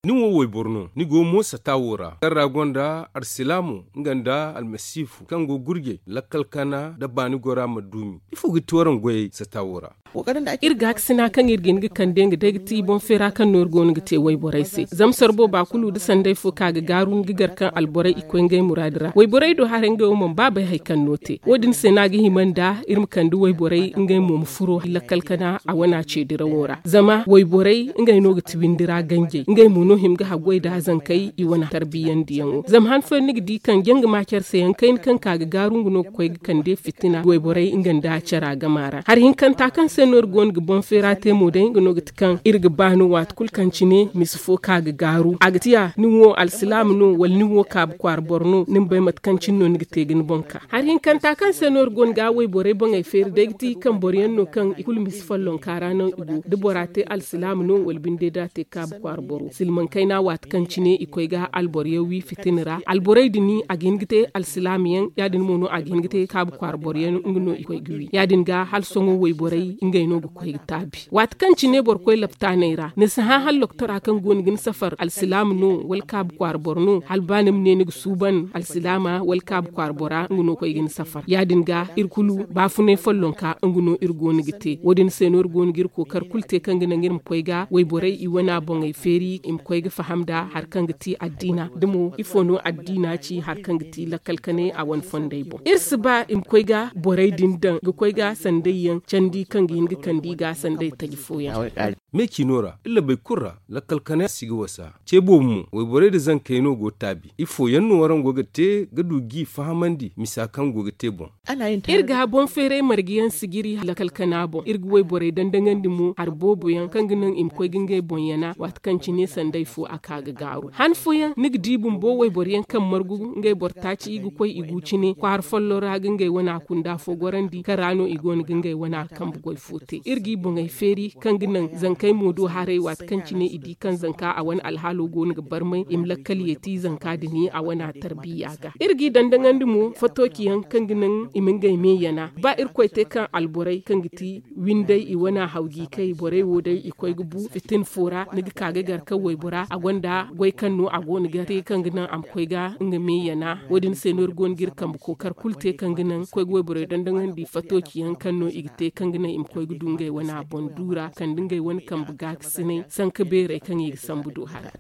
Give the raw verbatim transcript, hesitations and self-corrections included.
Ni wo wayboro no, ni go mo sata wo ra kaŋ ra gonda alsilaamo nga nda almasiifu kaŋ go gurjey lakkal kana nda baani gora ma duumi. Ifo ga ti waraŋ goyey sata wo ra? Iri gaakasina kaŋ iri ga hin ga kande nga day ga ti boŋ feera kaŋ no iri go no ga te wayborey se zama soro booba kulu nda sanday fo ka ga gaaru nga gar kaŋ alborey i koy ngey muraadi ra wayborey do haray ngey wo mana ba bay hari kaŋ no te. Wo- din se no a ga hima nda iri ma kande wayborey ngey mo ma furo lakkal kana a wana ce dirawo ra zama wayborey ngey no ga ti windi ra ganjey ngey mo no hima ga haggoy nda zankey i wana tarbiyandiyaŋo zama han fooyaŋ ni ga di kaŋ janga ma care se yaŋ kayna kaŋ ka ga gaaru nga no ga koy ga kande fitina wayborey nga nda care a gama ra hari hinkanta kaŋ se no iri go no ga boŋ feera te mo day nga no ga ti kaŋ iri ga ba no waati kulu kaŋ cine misa fo ka ga gaaru a ga tiya ni wo alsilaama no wala ni wo kaabu kwaara boro no ni ma bay mate kaŋ cine no ni ga te ga ni boŋ ka hari hinkanta kaŋ se no iri go no ga wayborey boŋey feeri day ga ti kaŋ boro yaŋ no kaŋ i kulu misa follonka ra no i go da bora te alsilaama no wala binde da a te kaabu kwaara boro silmaŋ kayna waati kaŋ cine i koy ga alboro yaŋ wi fitina ra alborey din a ga hin ga te alsilaama yaŋ ya- din mo no a ga hin ga te kaabu kwaara boro yaŋ nga no i koy ga wi ya- din ga hala sohõ wayborey ngey no ga koy ga taabi waati kaŋ cine boro koy laptaaney ra ni si hã hala loktora kaŋ go no ga ni safar alsilaama no wala kaabu kwaara boro no hala ba ni ma ne ni ga suuban alsilaama wala kaabu kwaara bora nga no koy ga ni safar ya- din ga iri kulu baafunay follonka nga no iri go no ga te wo- din se no iri go no ga iri kookari kulu te kaŋ ga naŋ iri ma koy ga wayborey i wana boŋey feeri i ma koy ga faham nda hari kaŋ ga ti addiina da mo ifo no addiina ci hari kaŋ ga ti lakkal kanay a wane fondey boŋ iri si ba i ma koy ga borey din daŋ ga koy ga sanday yaŋ candi kaŋ ga hin ga kande i ga sanday taji fooyaŋ. Me ciino ra iri labey kulu ra lakkal kanay si ga wasa ce boobo mo wayborey nda zankey no go taabi ifo yaŋ no waraŋ go ga te ga du g'i fahamandi misa kaŋ go ga te boŋ. Iri ga boŋ feeray marga yaŋ sijiri lakkal kana boŋ iri ga wayborey dandaŋandi mo hari boobo yaŋ kaŋ ga naŋ i ma koy ga ngey boŋ yana waati kaŋ cine sanday fo a ka ga gaaru han fooyaŋ ni ga di bumbo wayboro yaŋ kaŋ margu ngey boro taaci i ga koy i gu cine kwaara follo ra ga ngey wana kunda fo gorandi kaŋ ra no i go no ga ngey wana kambe goy fo te iri g'i boŋey feeri kaŋ ga naŋ zankey mo do haray waati kaŋ cine i di kaŋ zanka a wane alhaalo go no ga barmay i ma lakkal yeeti zanka din a wana tarbiya ga iri g'i dandaŋandi mo fatooci yaŋ kaŋ ga naŋ i ma ngey me yana ba irkoy te kaŋ alborey kaŋ ga ti windey i wana hawji kay borey wo day i koy ga bu fitin fo ra ni ga ka ga gar kaŋ waybora a gonda goy kaŋ no a go no ga te kaŋ ga naŋ a ma koy ga nga me yana wo- din se no iri go no ga iri kambe kookari kulu te kaŋ ga naŋ koy ga wayborey dandaŋandi fatooci yaŋ kaŋ no i ga te kaŋ ga naŋ i ma koy ga du ngey wana boŋ du ra kande ngey wane kambe gaakasinay sanka beerey kaŋ i ga sambu do hara.